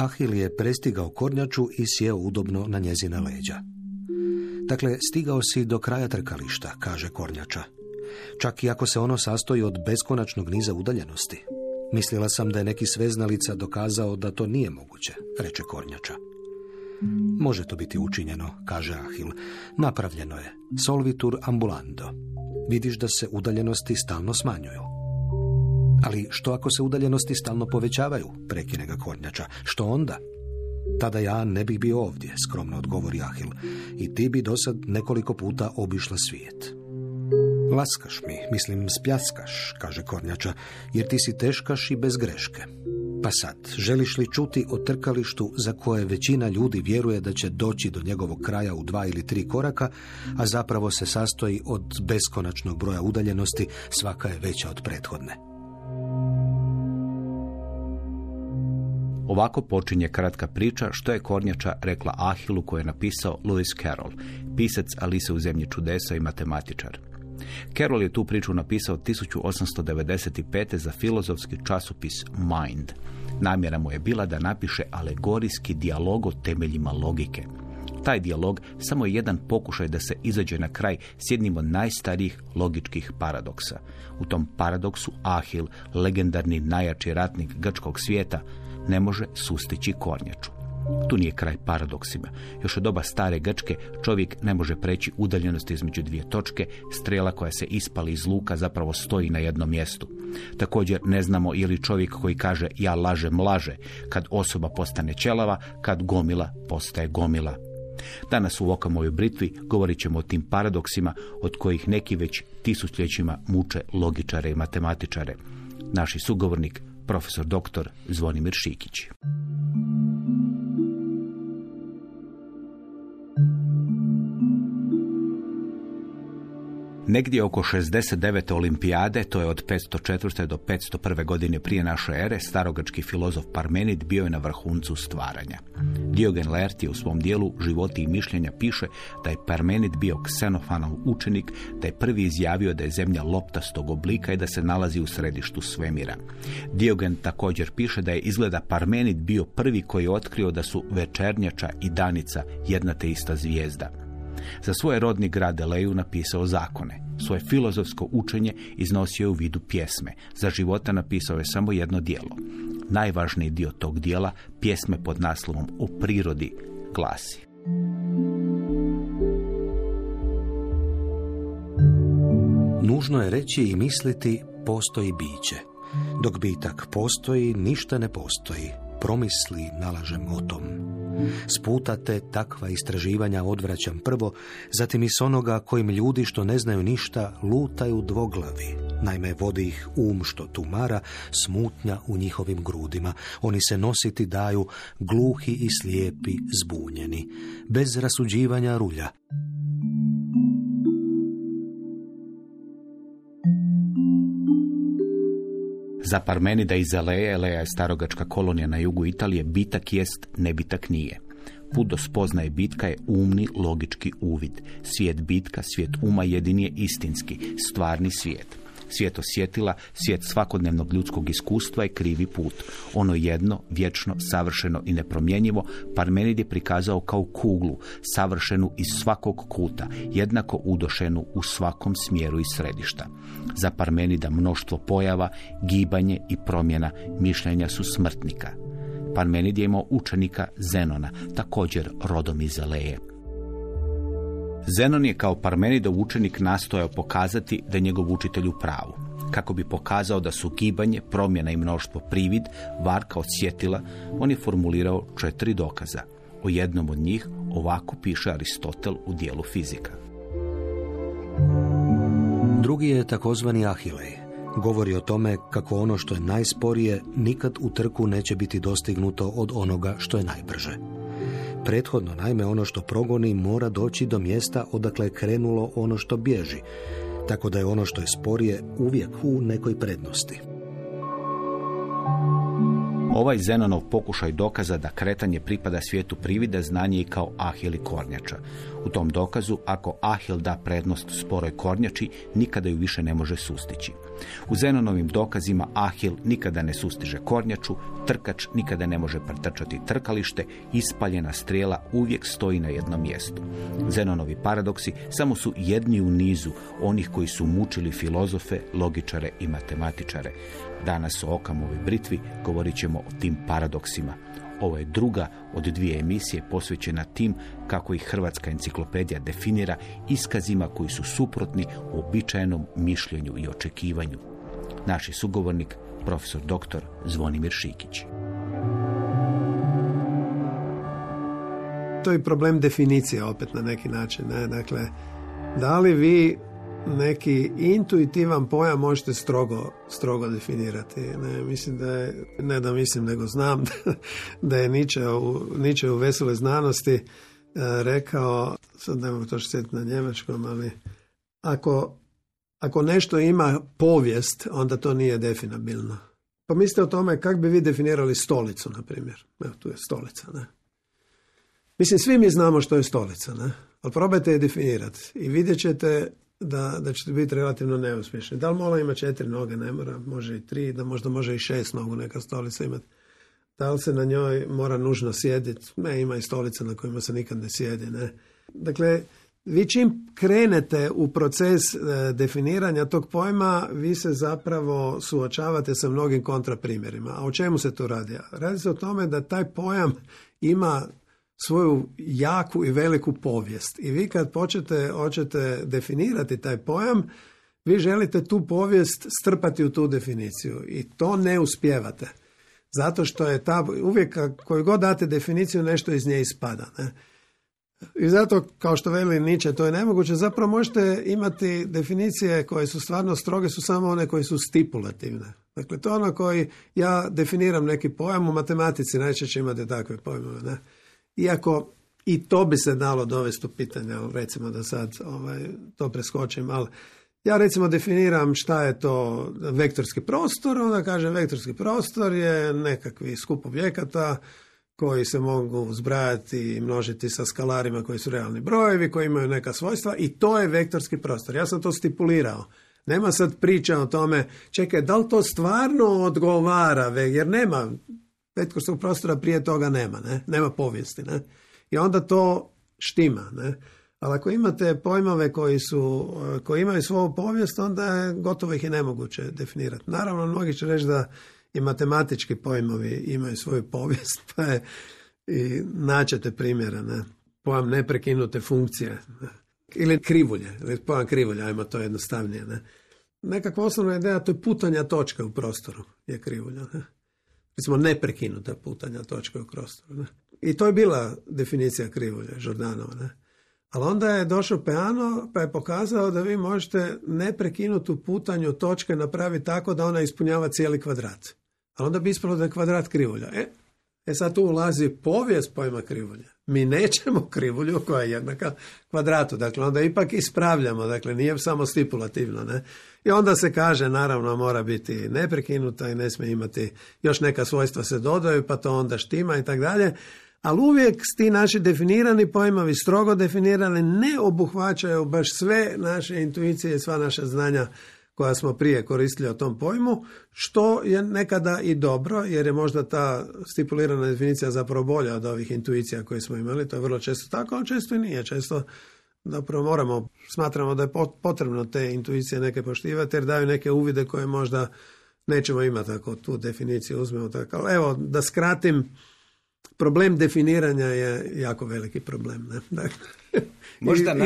Ahil je prestigao kornjaču i sjeo udobno na njezina leđa. Dakle, stigao si do kraja trkališta, kaže kornjača. Čak i ako se ono sastoji od beskonačnog niza udaljenosti. Mislila sam da je neki sveznalica dokazao da to nije moguće, reče kornjača. Može to biti učinjeno, kaže Ahil. Napravljeno je. Solvitur ambulando. Vidiš da se udaljenosti stalno smanjuju. Ali što ako se udaljenosti stalno povećavaju, prekine ga kornjača. Što onda? Tada ja ne bih bio ovdje, skromno odgovori Ahil. I ti bi dosad nekoliko puta obišla svijet. Laskaš mi, mislim spljaskaš, kaže kornjača, jer ti si teškaš i bez greške. Pa sad, želiš li čuti o trkalištu za koje većina ljudi vjeruje da će doći do njegovog kraja u 2 ili 3 koraka, a zapravo se sastoji od beskonačnog broja udaljenosti, svaka je veća od prethodne. Ovako počinje kratka priča što je kornjača rekla Ahilu koju je napisao Lewis Carroll, pisac Alice u zemlji čudesa i matematičar. Carroll je tu priču napisao 1895. za filozofski časopis Mind. Namjera mu je bila da napiše alegorijski dijalog o temeljima logike. Taj dijalog samo je jedan pokušaj da se izađe na kraj s jednim od najstarijih logičkih paradoksa. U tom paradoksu Ahil, legendarni najjači ratnik grčkog svijeta, ne može sustići kornjaču. Tu nije kraj paradoksima. Još od doba stare Grčke čovjek ne može preći udaljenost između 2 točke, strela koja se ispali iz luka zapravo stoji na jednom mjestu. Također ne znamo je li čovjek koji kaže ja lažem laže, kad osoba postane ćelava, kad gomila postaje gomila. Danas u Okamovoj britvi govorit ćemo o tim paradoksima od kojih neki već tisućljećima muče logičare i matematičare. Naši sugovornik, profesor dr. Zvonimir Šikić. Negdje oko 69. olimpijade, to je od 504. do 501. godine prije naše ere, starogrčki filozof Parmenid bio je na vrhuncu stvaranja. Diogen Laertije u svom dijelu Životi i mišljenja piše da je Parmenid bio Ksenofanov učenik, da je prvi izjavio da je zemlja loptastog oblika i da se nalazi u središtu svemira. Diogen također piše da je izgleda Parmenid bio prvi koji je otkrio da su večernjača i danica jedna te ista zvijezda. Za svoj rodni grad Eleju napisao zakone. Svoje filozofsko učenje iznosio je u vidu pjesme. Za života napisao je samo jedno djelo. Najvažniji dio tog dijela, pjesme pod naslovom O prirodi, glasi: Nužno je reći i misliti postoji biće. Dok bitak postoji, ništa ne postoji. Promisli nalažem o tom. Sputate takva istraživanja odvraćam prvo, zatim i s onoga kojim ljudi što ne znaju ništa lutaju dvoglavi. Naime, vodi ih što tumara, smutnja u njihovim grudima. Oni se nositi daju, gluhi i slijepi, zbunjeni. Bez rasuđivanja rulja. Za Parmenida iz Eleje, Eleja je starogačka kolonija na jugu Italije, bitak jest, nebitak nije. Put do spoznaje bitka je umni, logički uvid. Svijet bitka, svijet uma jedini je istinski, stvarni svijet. Svijet osjetila, svijet svakodnevnog ljudskog iskustva je krivi put. Ono jedno, vječno, savršeno i nepromjenjivo, Parmenid je prikazao kao kuglu, savršenu iz svakog kuta, jednako udošenu u svakom smjeru i središta. Za Parmenida mnoštvo pojava, gibanje i promjena mišljenja su smrtnika. Parmenid je imao učenika Zenona, također rodom iz Eleje. Zenon je kao Parmenidov učenik nastojao pokazati da je njegov učitelj u pravu. Kako bi pokazao da su gibanje, promjena i mnoštvo privid, varka od svjetila, on je formulirao 4 dokaza. O jednom od njih ovako piše Aristotel u dijelu Fizika. Drugi je takozvani Ahilej. Govori o tome kako ono što je najsporije nikad u trku neće biti dostignuto od onoga što je najbrže. Prethodno, naime, ono što progoni mora doći do mjesta odakle je krenulo ono što bježi, tako da je ono što je sporije uvijek u nekoj prednosti. Ovaj Zenonov pokušaj dokaza da kretanje pripada svijetu privida znanje i kao Ahil i kornjača. U tom dokazu, ako Ahil da prednost sporoj kornjači, nikada ju više ne može sustići. U Zenonovim dokazima Ahil nikada ne sustiže kornjaču, trkač nikada ne može pretrčati trkalište, ispaljena strijela uvijek stoji na jednom mjestu. Zenonovi paradoksi samo su jedni u nizu onih koji su mučili filozofe, logičare i matematičare. Danas o Okamovoj britvi govorit ćemo o tim paradoksima. Ovo je druga od 2 emisije posvećena tim kako ih Hrvatska enciklopedija definira iskazima koji su suprotni uobičajenom mišljenju i očekivanju. Naš je sugovornik, profesor dr. Zvonimir Šikić. To je problem definicije opet na neki način. Ne? Dakle, da li vi neki intuitivan pojam možete strogo definirati. Nego znam da je Nietzsche u Veseloj znanosti rekao, sad ne mogu to sjetiti na njemačkom, ali ako nešto ima povijest, onda to nije definabilno. Pa mislite o tome kako bi vi definirali stolicu, na primjer. Evo, tu je stolica, ne? Mislim, svi mi znamo što je stolica, ne? Ali probajte je definirati i vidjet ćete da ćete biti relativno neuspješni. Da li mola ima 4 noge, ne mora, može i 3, da možda može i 6 nogu neka stolica imati. Da li se na njoj mora nužno sjediti? Ne, ima i stolica na kojima se nikad ne sjedi, ne. Dakle, vi čim krenete u proces definiranja tog pojma, vi se zapravo suočavate sa mnogim kontraprimjerima. A o čemu se tu radi? Radi se o tome da taj pojam ima svoju jaku i veliku povijest. I vi kad hoćete definirati taj pojam, vi želite tu povijest strpati u tu definiciju. I to ne uspijevate. Zato što je uvijek koju god date definiciju, nešto iz nje ispada. Ne? I zato, kao što veli Nietzsche, to je nemoguće. Zapravo možete imati definicije koje su stvarno stroge, su samo one koje su stipulativne. Dakle, to ono koji ja definiram neki pojam, u matematici najčešće imate takve pojmove, ne? Iako i to bi se dalo dovesti u pitanje, recimo da sad to preskočim, ali ja recimo definiram šta je to vektorski prostor, onda kažem vektorski prostor je nekakvi skup objekata koji se mogu zbrajati i množiti sa skalarima koji su realni brojevi, koji imaju neka svojstva i to je vektorski prostor. Ja sam to stipulirao. Nema sad priča o tome, čekaj, da li to stvarno odgovara, jer nema vektorskog prostora prije toga nema povijesti, ne? I onda to štima, ne? Ali ako imate pojmove koji imaju svoju povijest, onda je gotovo ih je nemoguće definirati. Naravno, mnogi će reći da i matematički pojmovi imaju svoju povijest, pa je i naćete primjera, ne? Pojam neprekinute funkcije, ne? Ili krivulje, pojam krivulje, ajmo to jednostavnije, ne? Nekakva osnovna ideja, to je putanja točke u prostoru, je krivulja, ne? Recimo neprekinuta putanja točke u prostoru. Ne? I to je bila definicija krivulje, Jordanova. Ne? Ali onda je došao Peano pa je pokazao da vi možete neprekinutu putanju točke napraviti tako da ona ispunjava cijeli kvadrat. Ali onda bi ispalo da je kvadrat krivulja. Sad tu ulazi povijest pojma krivulje. Mi nećemo krivulju koja je jednaka kvadratu. Dakle, onda ipak ispravljamo. Dakle, nije samo stipulativno. Ne? I onda se kaže, naravno, mora biti neprekinuta i ne smije imati još neka svojstva se dodaju, pa to onda štima i tako dalje. Ali uvijek ti naši definirani pojmovi, strogo definirani, ne obuhvaćaju baš sve naše intuicije i sva naša znanja koja smo prije koristili o tom pojmu, što je nekada i dobro, jer je možda ta stipulirana definicija zapravo bolja od ovih intuicija koje smo imali. To je vrlo često tako, ali često i nije. Često zapravo smatramo da je potrebno te intuicije neke poštivati, jer daju neke uvide koje možda nećemo imati ako tu definiciju uzmemo tako. Ali evo, da skratim, problem definiranja je jako veliki problem. Ne? Dakle,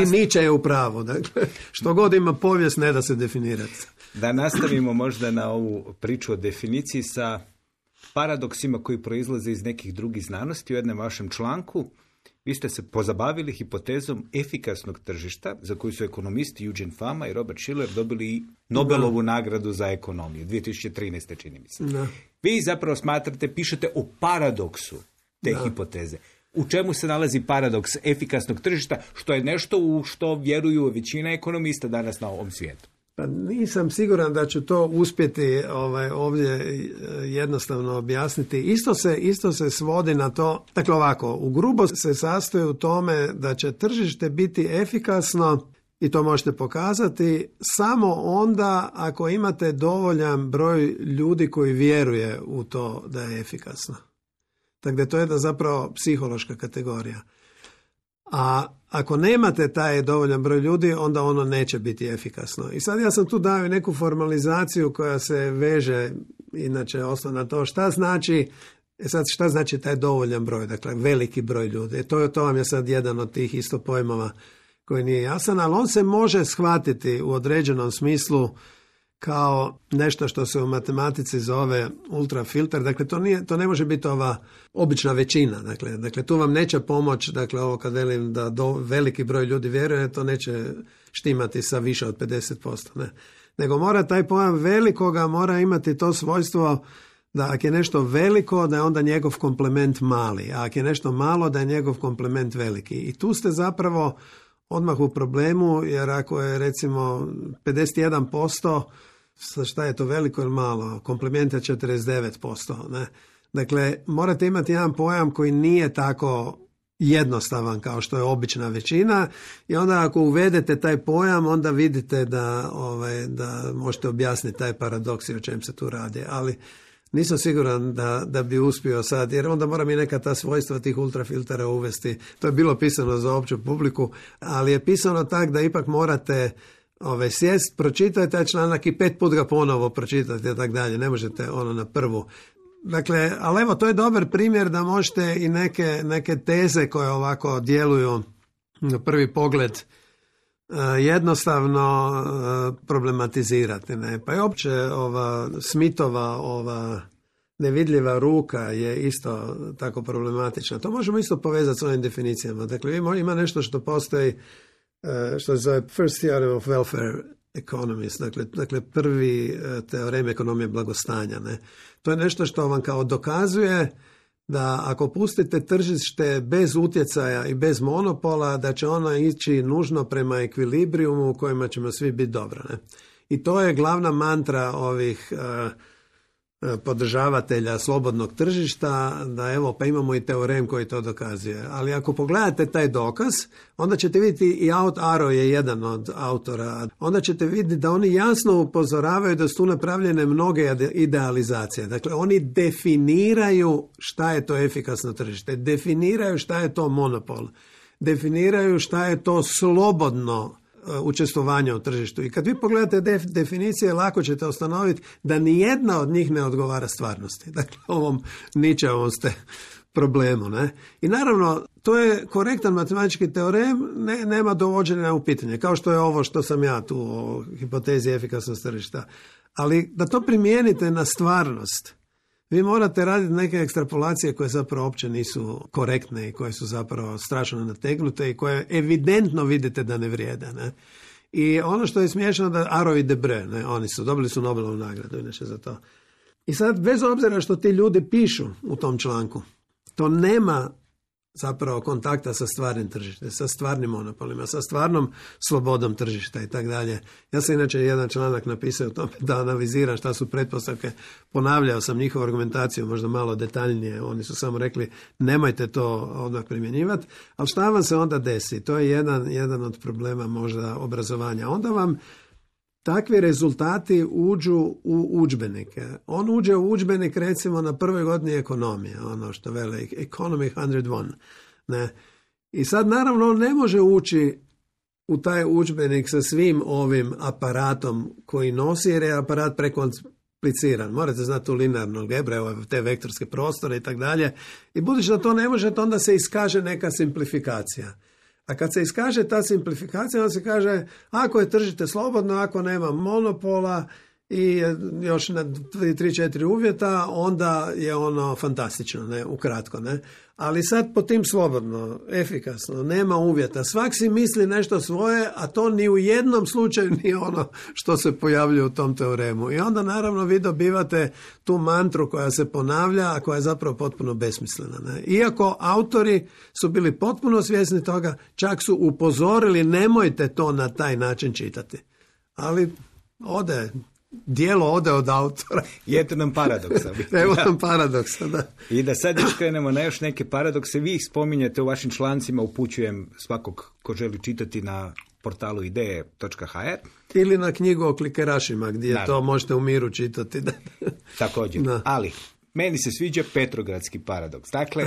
i Nietzsche je u pravu. Dakle, što god ima povijest, ne da se definirati. Da nastavimo možda na ovu priču o definiciji sa paradoksima koji proizlaze iz nekih drugih znanosti. U jednom vašem članku vi ste se pozabavili hipotezom efikasnog tržišta, za koju su ekonomisti Eugene Fama i Robert Shiller dobili Nobelovu nagradu za ekonomiju 2013. čini mi se. Da. Vi zapravo pišete o paradoksu te hipoteze. U čemu se nalazi paradoks efikasnog tržišta, što je nešto u što vjeruju većina ekonomista danas na ovom svijetu? Pa nisam siguran da ću to uspjeti ovdje jednostavno objasniti. Isto se svodi na to, dakle ovako, u grubo se sastoji u tome da će tržište biti efikasno, i to možete pokazati, samo onda ako imate dovoljan broj ljudi koji vjeruje u to da je efikasno. Dakle, to je jedna zapravo psihološka kategorija. A ako nemate taj dovoljan broj ljudi, onda ono neće biti efikasno. I sad ja sam tu dao neku formalizaciju koja se veže, inače osnovno na to šta znači taj dovoljan broj, dakle veliki broj ljudi. To vam je sad jedan od tih isto pojmova koji nije jasan, ali on se može shvatiti u određenom smislu kao nešto što se u matematici zove ultrafilter. Dakle, to ne može biti ova obična većina. Dakle, tu vam neće pomoći, dakle, ovo kad velim da veliki broj ljudi vjeruje, to neće štimati sa više od 50%. Ne. Nego mora taj pojam velikoga, mora imati to svojstvo da ako je nešto veliko, da je onda njegov komplement mali, a ako je nešto malo, da je njegov komplement veliki. I tu ste zapravo odmah u problemu, jer ako je recimo 51%, šta je to, veliko ili malo? Komplement je 49%. Ne? Dakle, morate imati jedan pojam koji nije tako jednostavan kao što je obična većina, i onda ako uvedete taj pojam, onda vidite da možete objasniti taj paradoks i o čem se tu radi. Ali nisam siguran da bi uspio sad, jer onda moram i neka ta svojstva tih ultrafiltera uvesti. To je bilo pisano za opću publiku, ali je pisano tak da ipak morate sjest, pročitati taj članak i 5 put ga ponovo pročitati i tako dalje. Ne možete ono na prvu. Dakle, ali evo, to je dobar primjer da možete i neke teze koje ovako djeluju na prvi pogled jednostavno problematizirati. Ne? Pa i opće Smithova nevidljiva ruka je isto tako problematična. To možemo isto povezati s ovim definicijama. Dakle, ima nešto što postoji, što se zove First Theorem of Welfare Economics, dakle prvi teorem ekonomije blagostanja. Ne? To je nešto što vam kao dokazuje da ako pustite tržište bez utjecaja i bez monopola, da će ono ići nužno prema ekvilibrijumu u kojima ćemo svi biti dobro. Ne? I to je glavna mantra ovih podržavatelja slobodnog tržišta, da evo, pa imamo i teorem koji to dokazuje. Ali ako pogledate taj dokaz, onda ćete vidjeti, i Arrow je jedan od autora, onda ćete vidjeti da oni jasno upozoravaju da su tu napravljene mnoge idealizacije. Dakle, oni definiraju šta je to efikasno tržište, definiraju šta je to monopol, definiraju šta je to slobodno učestvovanja u tržištu. I kad vi pogledate definicije, lako ćete ustanoviti da nijedna od njih ne odgovara stvarnosti. Dakle, ovom Nietzscheovom ste problemu. Ne? I naravno, to je korektan matematički teorem, nema dovođenja u pitanje, kao što je ovo što sam ja tu o hipotezi efikasnosti tržišta. Ali da to primijenite na stvarnost, vi morate raditi neke ekstrapolacije koje zapravo uopće nisu korektne i koje su zapravo strašno nategnute i koje evidentno vidite da ne vrijede. Ne? I ono što je smiješno da Arrow i Debreu, ne, oni dobili su Nobelovu nagradu inače za to. I sad, bez obzira što ti ljudi pišu u tom članku, to nema zapravo kontakta sa stvarnim tržištem, sa stvarnim monopolima, sa stvarnom slobodom tržišta i tako dalje. Ja sam inače jedan članak napisao o tome da analiziram šta su pretpostavke. Ponavljao sam njihovu argumentaciju možda malo detaljnije. Oni su samo rekli nemojte to odmah primjenjivati. Ali šta vam se onda desi? To je jedan od problema možda obrazovanja. Onda vam takvi rezultati uđu u udžbenike. On uđe u udžbenik recimo na prvoj godini ekonomije, ono što vele Economy 101. Ne? I sad naravno on ne može ući u taj udžbenik sa svim ovim aparatom koji nosi, jer je aparat prekompliciran. Morate znati tu linearnu algebru, te vektorske prostore i tako dalje. I budući da to ne možete, onda se iskaže neka simplifikacija. A kad se iskaže ta simplifikacija, onda se kaže ako je tržište slobodno, ako nema monopola i još na 3-4 uvjeta, onda je ono fantastično, ne, ukratko. Ne? Ali sad po tim slobodno, efikasno, nema uvjeta. Svak si misli nešto svoje, a to ni u jednom slučaju nije ono što se pojavljuje u tom teoremu. I onda naravno vi dobivate tu mantru koja se ponavlja, a koja je zapravo potpuno besmislena. Ne? Iako autori su bili potpuno svjesni toga, čak su upozorili nemojte to na taj način čitati. Ali dijelo ode od autora. I eto nam paradoksa. Evo nam paradoksa, da. I da sad još krenemo na još neke paradokse. Vi ih spominjete u vašim člancima, upućujem svakog ko želi čitati na portalu ideje.hr. Ili na knjigu o klikerašima, gdje naravno, to možete u miru čitati. Također, da. Ali meni se sviđa Petrogradski paradoks. Dakle,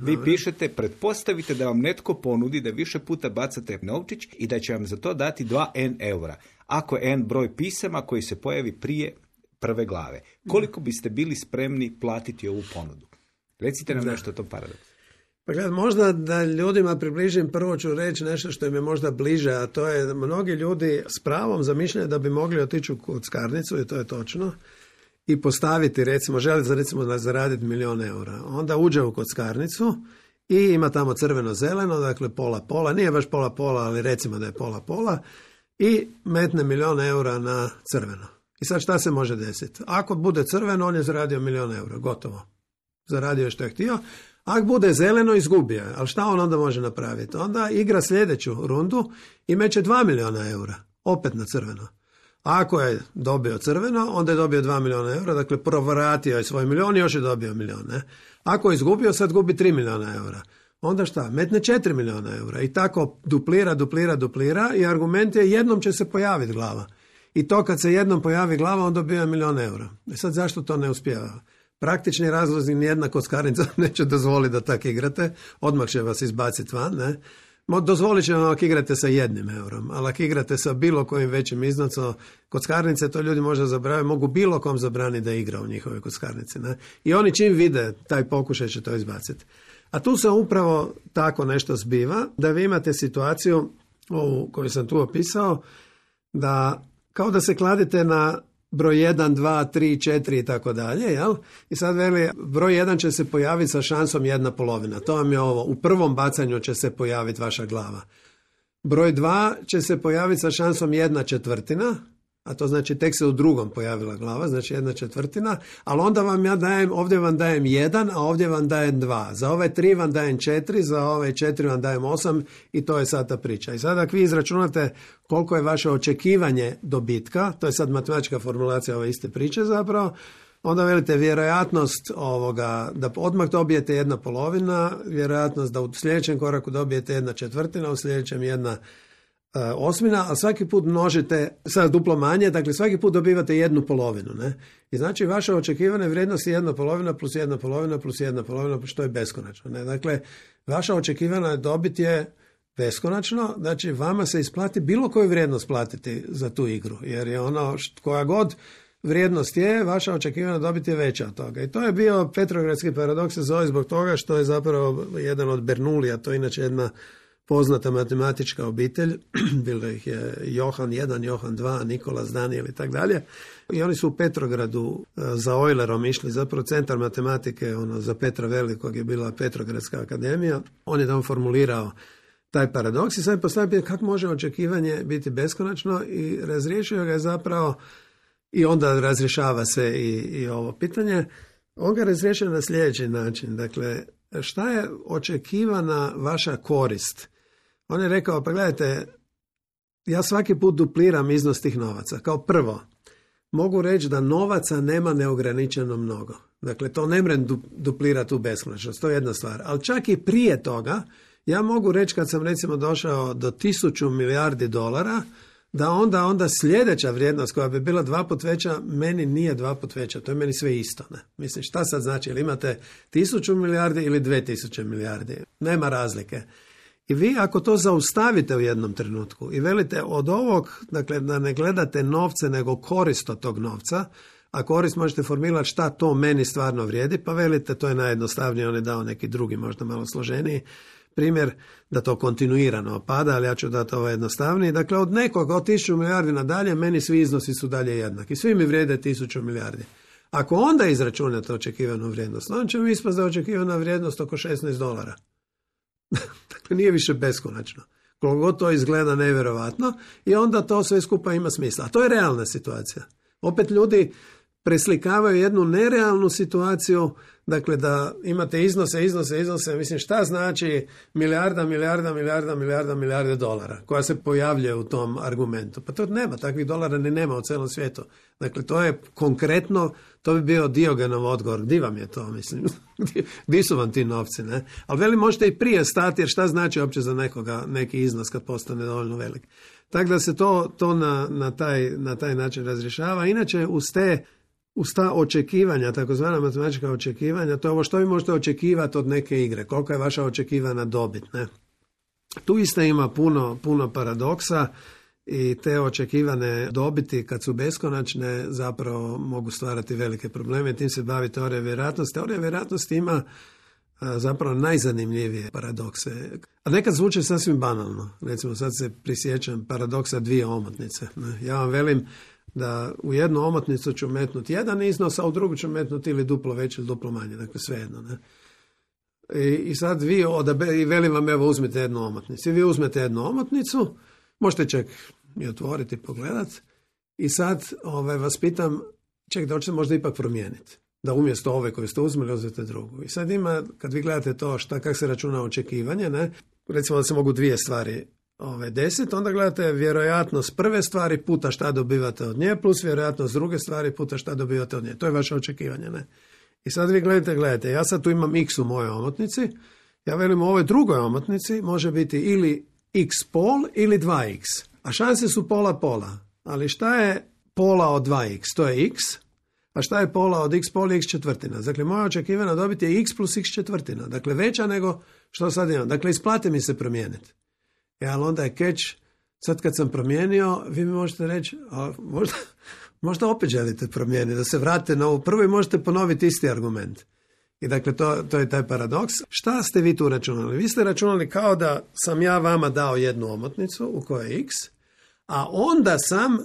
vi pišete, pretpostavite da vam netko ponudi da više puta bacate novčić i da će vam za to dati 2n eura. Ako je n broj pisama koji se pojavi prije prve glave. Koliko biste bili spremni platiti ovu ponudu? Recite nam nešto o tom paradoksu. Pa gledaj, možda da ljudima približim, prvo ću reći nešto što im je možda bliže, a to je mnogi ljudi s pravom zamišljaju da bi mogli otići u kockarnicu, i to je točno, i postaviti, recimo, želi zaraditi 1.000.000 eura. Onda uđe u kockarnicu i ima tamo crveno-zeleno, dakle pola-pola, nije baš pola-pola, ali recimo da je pola-pola, i metne 1.000.000 eura na crveno. I sad šta se može desiti? Ako bude crveno, on je zaradio 1.000.000 eura, gotovo. Zaradio je što je htio. Ako bude zeleno, izgubio je. Ali šta on onda može napraviti? Onda igra sljedeću rundu i meće 2.000.000 eura. Opet na crveno. Ako je dobio crveno, onda je dobio 2.000.000 eura. Dakle, provratio je svoj 1.000.000 i još je dobio 1.000.000. Ako je izgubio, sad gubi 3.000.000 eura. Onda šta? Metne 4.000.000 eura. I tako duplira i argument je jednom će se pojaviti glava. I to kad se jednom pojavi glava, on dobija 1.000.000 eura. I sad zašto to ne uspijeva? Praktični razlozi, nijedna kockarnica neće dozvoliti da tako igrate, odmah će vas izbaciti van, ne? Dozvolit će vam ako igrate sa 1 eurom, ali ako igrate sa bilo kojim većim iznosom, kockarnice, to ljudi možda zaboravaju, mogu bilo kom zabraniti da igra u njihovoj kockarnici, ne? I oni čim vide taj pokušaj će to izbaciti. A tu se upravo tako nešto zbiva, da vi imate situaciju, ovu koju sam tu opisao, da kao da se kladite na broj 1, 2, 3, 4 i tako dalje, jel? I sad veli, broj 1 će se pojaviti sa šansom 1/2. To vam je ovo. U prvom bacanju će se pojaviti vaša glava. Broj 2 će se pojaviti sa šansom 1/4, a to znači tek se u drugom pojavila glava, znači 1/4, ali onda vam ja dajem, ovdje vam dajem 1, a ovdje vam dajem 2. Za ove 3 vam dajem 4, za ove 4 vam dajem 8 i to je sad ta priča. I sad ako vi izračunate koliko je vaše očekivanje dobitka, to je sad matematička formulacija ove iste priče zapravo, onda velite vjerojatnost da odmah dobijete 1/2, vjerojatnost da u sljedećem koraku dobijete 1/4, u sljedećem 1/8, a svaki put množite sad duplo manje, dakle svaki put dobivate 1/2, ne? I znači vaša očekivana vrijednost je 1/2 plus 1/2 plus 1/2, što je beskonačno, ne? Dakle, vaša očekivana dobit je beskonačno, znači vama se isplati bilo koju vrijednost platiti za tu igru, jer je ono koja god vrijednost je, vaša očekivana dobit je veća od toga. I to je bio Petrogradski paradoks, se zove zbog toga što je zapravo jedan od Bernoulija, to je inače jedna poznata matematička obitelj, bilo ih je Johan 1, Johan 2, Nikolas, Daniel i tako dalje. I oni su u Petrogradu za Eulerom išli, zapravo centar matematike, za Petra Velikog je bila Petrogradska akademija. On je tamo formulirao taj paradoks i sad je postavio pitanje kako može očekivanje biti beskonačno i razriješio ga je zapravo, i onda razrješava se i ovo pitanje. On ga razriješio na sljedeći način. Dakle, šta je očekivana vaša korist? On je rekao, pa gledajte, ja svaki put dupliram iznos tih novaca. Kao prvo, mogu reći da novaca nema neograničeno mnogo. Dakle, to ne mrem duplirati u beskonačnost, to je jedna stvar. Ali čak i prije toga, ja mogu reći kad sam recimo došao do 1000 milijardi dolara, da onda sljedeća vrijednost koja bi bila 2 put veća, meni nije 2 put veća, to je meni sve isto. Ne? Mislim, šta sad znači, ili imate 1000 milijardi ili 2000 milijardi, nema razlike. I vi ako to zaustavite u jednom trenutku i velite od ovog, dakle da ne gledate novce nego korist od tog novca, a korist možete formulirati šta to meni stvarno vrijedi, pa velite to je najjednostavnije, on je dao neki drugi, možda malo složeniji primjer da to kontinuirano pada, ali ja ću dati ovo jednostavniji. Dakle, od nekoga, od 1000 milijardi nadalje, meni svi iznosi su dalje jednaki. Svi mi vrijede 1000 milijardi. Ako onda izračunate očekivanu vrijednost, onda će mi ispast da je očekivana vrijednost oko $16. Dakle, nije više beskonačno. Koliko god to izgleda nevjerovatno i onda to sve skupa ima smisla. A to je realna situacija. Opet ljudi preslikavaju jednu nerealnu situaciju, dakle da imate iznose, mislim šta znači milijarde dolara koja se pojavljuje u tom argumentu. Pa to nema, takvih dolara ni nema u celom svijetu. Dakle, to je konkretno, to bi bio Diogenov odgovor. Di vam je to, mislim? Di su vam ti novci, ne? Ali veli, možete i prije stati, jer šta znači uopće za nekoga neki iznos kad postane dovoljno velik. Tako da se to na taj način razrješava. Inače, uz ta očekivanja, takozvana matematička očekivanja, to je ovo što vi možete očekivati od neke igre, kolika je vaša očekivana dobit. Ne? Tu isto ima puno paradoksa i te očekivane dobiti kad su beskonačne zapravo mogu stvarati velike probleme. Tim se bavi teorija vjerojatnosti. Teorija vjerojatnosti ima zapravo najzanimljivije paradokse. A nekad zvuče sasvim banalno. Recimo sad se prisjećam paradoksa dvije omotnice. Ne? Ja vam velim da u jednu omotnicu ću metnuti jedan iznos, a u drugu ću metnuti ili duplo veće ili duplo manje, dakle svejedno. Ne? I sad vi i velim vam, evo uzmite jednu omotnicu. I vi uzmete jednu omotnicu, možete čak i otvoriti i pogledati, i sad vas pitam, da hoćete možda ipak promijeniti. Da umjesto ove koju ste uzmeli, uzmete drugu. I sad ima, kad vi gledate to kako se računa očekivanje, ne? Recimo da se mogu dvije stvari 10, onda gledate vjerojatnost prve stvari puta šta dobivate od nje, plus vjerojatnost druge stvari puta šta dobivate od nje. To je vaše očekivanje, ne? I sad vi gledajte, ja sad tu imam x u mojoj omotnici, ja velim u ovoj drugoj omotnici može biti ili x pol ili 2x, a šanse su pola, ali šta je pola od 2x? To je x, a šta je pola od x pol i x četvrtina? Dakle, moja očekivana dobit je x plus x četvrtina, dakle veća nego što sad imam. Dakle, isplati mi se promijeniti. Ali onda je catch, sad kad sam promijenio, vi mi možete reći, a možda opet želite promijeniti, da se vratite na ovu prvu i možete ponoviti isti argument. I dakle, to je taj paradoks. Šta ste vi tu računali? Vi ste računali kao da sam ja vama dao jednu omotnicu u kojoj je x, a onda sam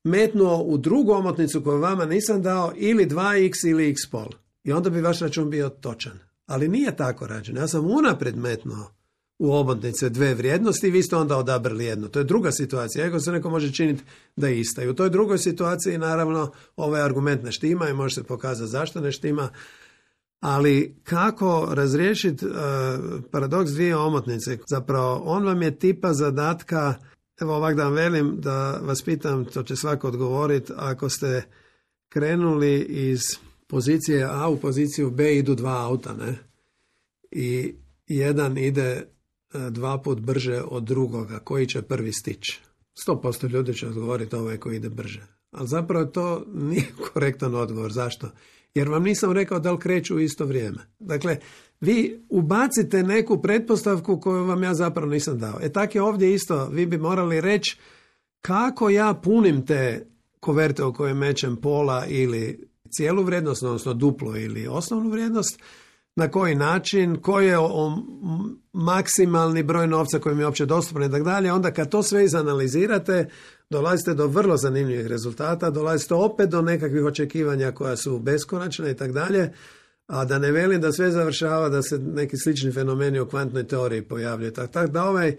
metnuo u drugu omotnicu koju vama nisam dao ili 2x ili x pol. I onda bi vaš račun bio točan. Ali nije tako rađen. Ja sam unaprijed metnuo u omotnice dve vrijednosti i vi ste onda odabrali jednu. To je druga situacija. Ako se neko može činiti da je ista. I u toj drugoj situaciji naravno ovaj argument ne štima i može se pokazati zašto ne štima. Ali kako razriješiti paradoks dvije omotnice? Zapravo on vam je tipa zadatka, evo ovak da vam velim, da vas pitam, to će svako odgovoriti, ako ste krenuli iz pozicije A u poziciju B idu dva auta, ne? I jedan ide 2 put brže od drugoga, koji će prvi stići? 100% ljudi će odgovoriti ovaj koji ide brže. Ali zapravo to nije korektan odgovor. Zašto? Jer vam nisam rekao da li kreću u isto vrijeme. Dakle, vi ubacite neku pretpostavku koju vam ja zapravo nisam dao. Tak je ovdje isto, vi bi morali reći kako ja punim te koverte u koje mećem pola ili cijelu vrijednost, odnosno duplo ili osnovnu vrijednost, na koji način, koji je maksimalni broj novca koji mi je uopće dostupan i tako dalje. Onda kad to sve izanalizirate, dolazite do vrlo zanimljivih rezultata, dolazite opet do nekakvih očekivanja koja su beskonačne i tako dalje, a da ne velim da sve završava da se neki slični fenomeni u kvantnoj teoriji pojavljaju. Tako da ovaj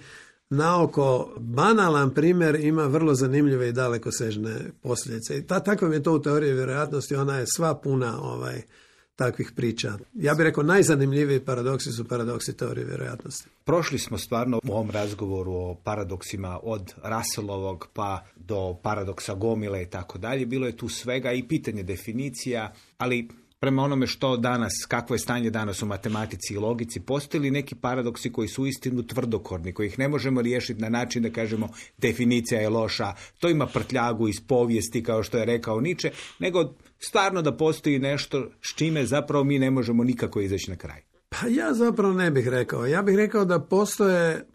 naoko banalan primjer ima vrlo zanimljive i dalekosežne posljedice. I tako je to u teoriji vjerojatnosti, ona je sva puna takvih priča. Ja bih rekao najzanimljiviji paradoksi su paradoksi teorije vjerojatnosti. Prošli smo stvarno u ovom razgovoru o paradoksima od Russellovog pa do paradoksa gomile i tako dalje. Bilo je tu svega i pitanje definicija, ali prema onome što danas, kakvo je stanje danas u matematici i logici, postoji li neki paradoksi koji su uistinu tvrdokorni, koji ih ne možemo riješiti na način da kažemo definicija je loša, to ima prtljagu iz povijesti kao što je rekao Nietzsche, nego stvarno da postoji nešto s čime zapravo mi ne možemo nikako izaći na kraj. Pa ja zapravo ne bih rekao. Ja bih rekao da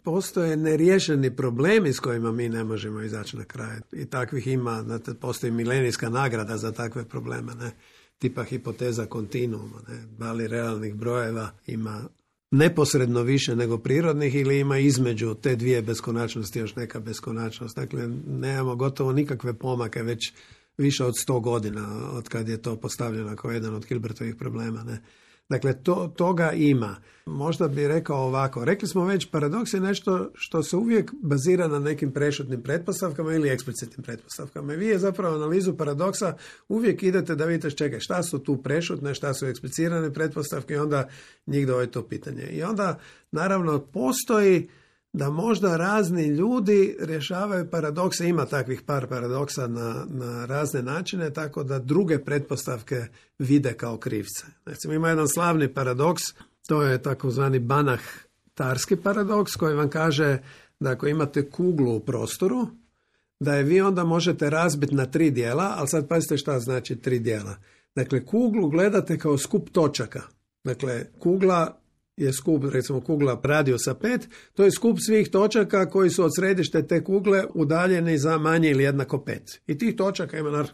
postoje neriješeni problemi s kojima mi ne možemo izaći na kraj. I takvih ima, znate, postoji milenijska nagrada za takve probleme, ne? Tipa hipoteza kontinuuma, ne? Da li realnih brojeva ima neposredno više nego prirodnih ili ima između te dvije beskonačnosti još neka beskonačnost. Dakle, nemamo gotovo nikakve pomake već više od 100 godina od kad je to postavljeno kao jedan od Hilbertovih problema. Ne? Dakle, toga ima. Možda bi rekao ovako. Rekli smo već, paradoks je nešto što se uvijek bazira na nekim prešutnim pretpostavkama ili eksplicitnim pretpostavkama. I vi je zapravo analizu paradoksa uvijek idete da vidite čekaj, šta su tu prešutne, šta su eksplicirane pretpostavke i onda njih dođe to pitanje. I onda, naravno, postoji da možda razni ljudi rješavaju paradokse, ima takvih par paradoksa na razne načine, tako da druge pretpostavke vide kao krivce. Recimo, ima jedan slavni paradoks, to je takozvani Banach-Tarski paradoks, koji vam kaže da ako imate kuglu u prostoru, da je vi onda možete razbiti na 3 dijela, ali sad pazite šta znači 3 dijela. Dakle, kuglu gledate kao skup točaka. Dakle, kugla je skup, recimo kugla radijusa 5, to je skup svih točaka koji su od središte te kugle udaljeni za manje ili jednako 5. I tih točaka ima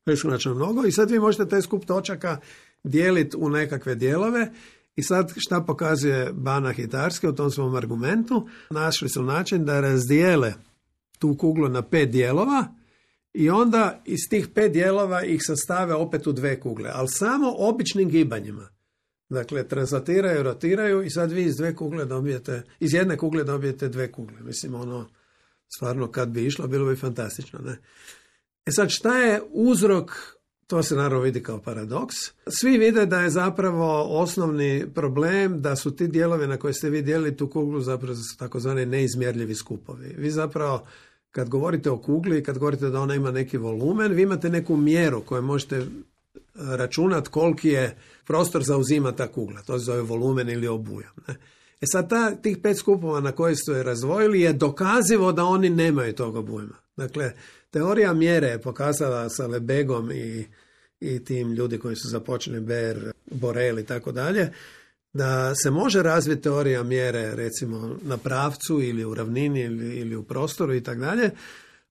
beskonačno mnogo i sad vi možete taj skup točaka dijeliti u nekakve dijelove i sad šta pokazuje Banach i Tarski u tom svom argumentu? Našli su način da razdijele tu kuglu na 5 dijelova i onda iz tih 5 dijelova ih sastave opet u 2 kugle, ali samo običnim gibanjima. Dakle, translatiraju, rotiraju i sad vi iz jedne kugle dobijete 2 kugle. Mislim, stvarno kad bi išlo, bilo bi fantastično, ne? E sad, šta je uzrok? To se naravno vidi kao paradoks. Svi vide da je zapravo osnovni problem da su ti dijelovi na koje ste vi dijelili tu kuglu zapravo su takozvani neizmjerljivi skupovi. Vi zapravo, kad govorite o kugli i kad govorite da ona ima neki volumen, vi imate neku mjeru koju možete računati koliki je prostor zauzima ta kugla. To se zove volumen ili obujam. Ne? E sad tih 5 skupova na koje su je razdvojili je dokazivo da oni nemaju tog obujma. Dakle, teorija mjere je pokazala sa Lebegom i tim ljudi koji su započeli Baer, Borel i tako dalje, da se može razviti teorija mjere recimo na pravcu ili u ravnini ili u prostoru i tako dalje,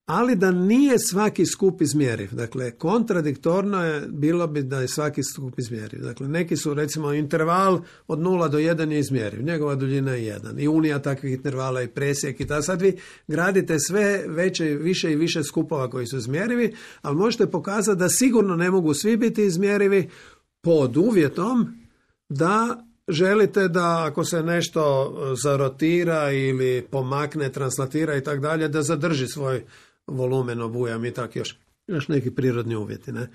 ali da nije svaki skup izmjeriv. Dakle, kontradiktorno je bilo bi da je svaki skup izmjeriv. Dakle, neki su recimo interval od 0 do 1 je izmjeriv, njegova duljina je 1 i unija takvih intervala i presjek i tako. Sad vi gradite sve više i više skupova koji su izmjerivi, ali možete pokazati da sigurno ne mogu svi biti izmjerivi pod uvjetom da želite da ako se nešto zarotira ili pomakne, translatira i tako dalje, da zadrži svoj volumen, obujam i tako još neki prirodni uvjeti. Ne?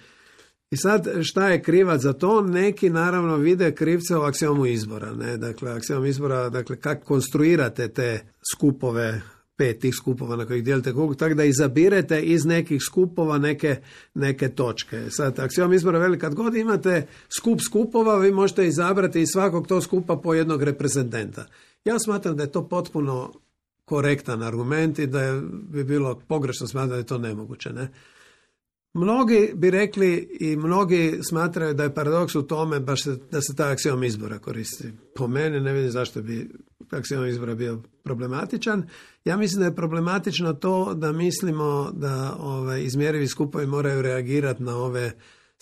I sad šta je krivac za to? Neki naravno vide krivce u aksiomu izbora. Ne? Dakle, aksiom izbora, dakle kako konstruirate te skupove, 5 tih skupova na kojih dijelite kuglu, tako da izabirete iz nekih skupova neke točke. Sad, aksiom izbora veli kad god imate skup skupova, vi možete izabrati iz svakog tog skupa po jednog reprezentanta. Ja smatram da je to potpuno korektan argument i da bi bilo pogrešno smatrati da je to nemoguće. Ne? Mnogi bi rekli i mnogi smatraju da je paradoks u tome baš da se taj aksiom izbora koristi. Po meni ne vidim zašto bi aksiom izbora bio problematičan. Ja mislim da je problematično to da mislimo da izmjerivi skupovi moraju reagirati na ove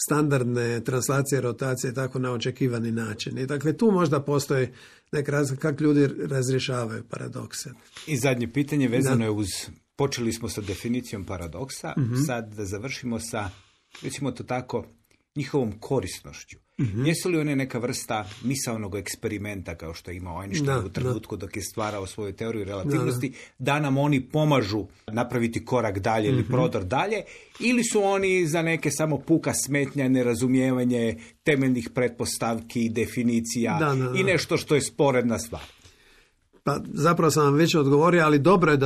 standardne translacije, rotacije, tako na očekivani način. I dakle, tu možda postoji neka razlika kako ljudi razrješavaju paradokse. I zadnje pitanje vezano je uz, počeli smo sa definicijom paradoksa, sad da završimo sa, recimo to tako, njihovom korisnošću. Jesu li one neka vrsta misaonog eksperimenta kao što je imao Einstein u trenutku dok je stvarao svoju teoriju relativnosti, da nam oni pomažu napraviti korak dalje ili prodor dalje, ili su oni za neke samo puka smetnja, nerazumijevanje temeljnih pretpostavki, definicija i nešto što je sporedna stvar? Pa zapravo sam vam već odgovorio, ali dobro je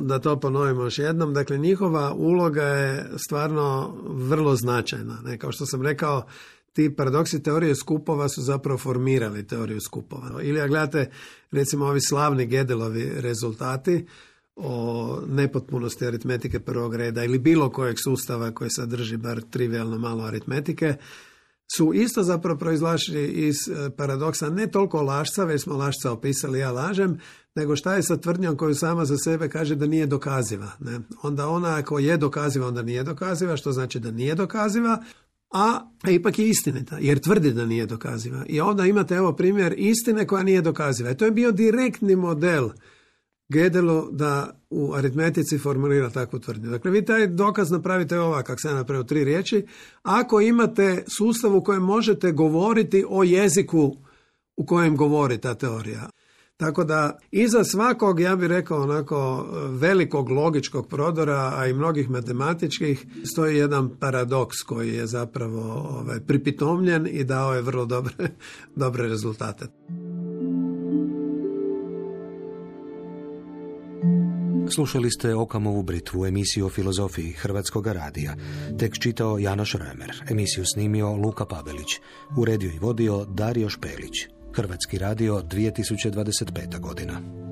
da to ponovimo još jednom. Dakle, njihova uloga je stvarno vrlo značajna. Ne? Kao što sam rekao, ti paradoksi teorije skupova su zapravo formirali teoriju skupova. Ili ako gledate, recimo, ovi slavni Gödelovi rezultati o nepotpunosti aritmetike prvog reda ili bilo kojeg sustava koji sadrži bar trivialno malo aritmetike, su isto zapravo proizlašli iz paradoksa ne toliko lašca, već smo lašca opisali, ja lažem, nego šta je sa tvrdnjom koju sama za sebe kaže da nije dokaziva. Ne? Onda ona ako je dokaziva, onda nije dokaziva, što znači da nije dokaziva, a ipak je istinita, jer tvrdi da nije dokaziva. I onda imate evo primjer istine koja nije dokaziva. I to je bio direktni model Gödelu da u aritmetici formulira takvu tvrdnju. Dakle, vi taj dokaz napravite ovak, kako sam napravio 3 riječi, ako imate sustav u kojem možete govoriti o jeziku u kojem govori ta teorija. Tako da iza svakog, ja bih rekao onako velikog logičkog prodora, a i mnogih matematičkih, stoji jedan paradoks koji je zapravo pripitomljen i dao je vrlo dobre rezultate. Slušali ste Okamovu britvu, emisiju o filozofiji Hrvatskog radija. Tekst čitao Janoš Remer, emisiju snimio Luka Pavelić, uredio i vodio Dario Špelić. Hrvatski radio, 2025. godina.